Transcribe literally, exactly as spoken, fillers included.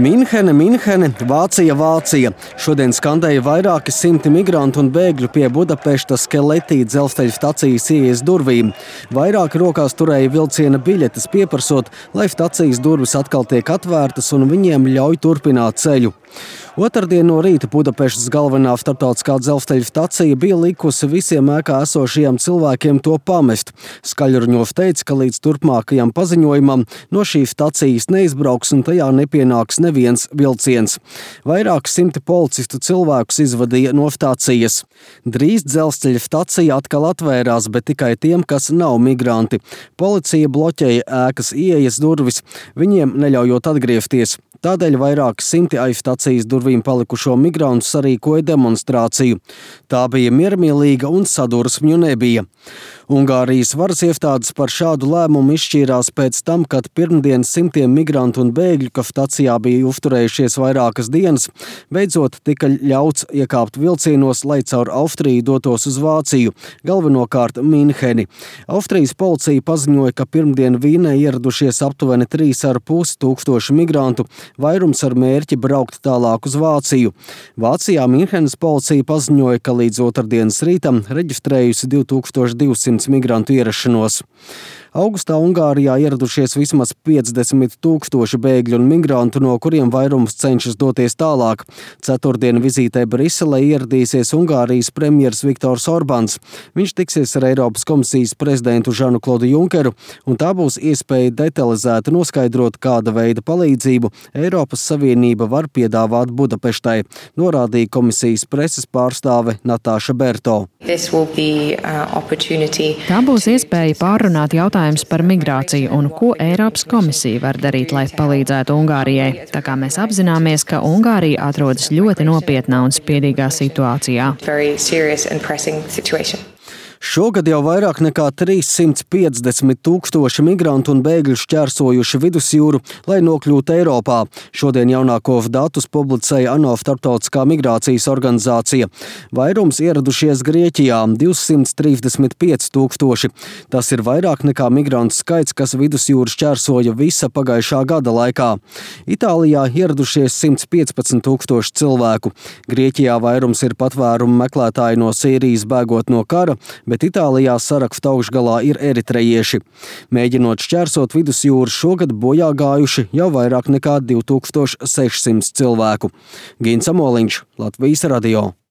Minhene, Minhene, Vācija, Vācija. Šodien skandēja vairāki simti migrantu un bēgļu pie Budapeštas Keleti dzelzceļa stacijas ieejas durvīm. Vairāki rokās turēja vilciena biļetes, pieprasot, lai stacijas durvis atkal tiek atvērtas un viņiem ļauj turpināt ceļu. Otrdien no rīta Budapeštas galvenā starptautiskā dzelzceļa stacija bija likusi visiem ēkā esošajiem cilvēkiem to pamest. Skaļruņov teica, ka līdz turpmākajam paziņojumam no šīs stacijas neizbrauks un tajā nepienāks neviens vilciens. Vairāki simti policistu cilvēkus izvadīja no stacijas. Drīz dzelzceļa stacija atkal atvērās, bet tikai tiem, kas nav migranti. Policija bloķēja ēkas ieejas durvis, viņiem neļaujot atgriezties. Tādēļ vairāki simti aiz stacijas durvīm palikušo migrantu sarīkoja demonstrāciju. Tā bija miermīlīga un sadursmju nebija. Ungārijas varas iestādes par šādu lēmumu izšķīrās pēc tam, kad pirmdien simtiem migrantu un bēgļu, kas stacijā bija uzturējušies vairākas dienas, beidzot tika ļauts iekāpt vilcienos, lai caur Austriju dotos uz Vāciju, galvenokārt Minheni. Austrijas policija paziņoja, ka pirmdien Vīnē ieradušies aptuveni trīs ar pusi tūkstoši migrantu, vairums ar mērķi braukt tālāk uz Vāciju. Vācijā Minhenes policija paziņoja, ka līdz otrdienas rītam reģistrējusi divi tūkstoši divsimt migrantu ierašanos. Augustā Ungārijā ieradušies vismaz piecdesmit tūkstoši bēgļu un migrantu, no kuriem vairums cenšas doties tālāk. Ceturtdien vizītē Briselē ieradīsies Ungārijas premjers Viktors Orbāns. Viņš tiksies ar Eiropas komisijas prezidentu Žanu Klodu Junkeru, un tā būs iespēja detalizēti noskaidrot, kāda veida palīdzību Eiropas Savienība var piedāvāt Budapeštai, norādīja komisijas preses pārstāve Natāša Berto. Be, uh, Tā būs iespēja pārrunāt jautājums par migrāciju un ko Eiropas komisija var darīt, lai palīdzētu Ungārijai. Tā kā mēs apzināmies, ka Ungārija atrodas ļoti nopietnā un spiedīgā situācijā. Šogad jau vairāk nekā trīssimti piecdesmit tūkstoši migrantu un bēgļu šķērsojuši vidusjūru, lai nokļūtu Eiropā. Šodien jaunākos datus publicēja ANO starptautiskā migrācijas organizācija. Vairums ieradušies Grieķijā – divsimt trīsdesmit pieci tūkstoši. Tas ir vairāk nekā migrantu skaits, kas vidusjūru šķērsoja visa pagājušā gada laikā. Itālijā ieradušies simt piecpadsmit tūkstoši cilvēku. Grieķijā vairums ir patvērumu meklētāji no Sīrijas bēgot no kara, bet Itālijā saraksta augšgalā ir eritrejieši. Mēģinot šķērsot vidusjūru, šogad bojā gājuši jau vairāk nekā divi tūkstoši sešsimt cilvēku. Gins Amoliņš, Latvijas radio.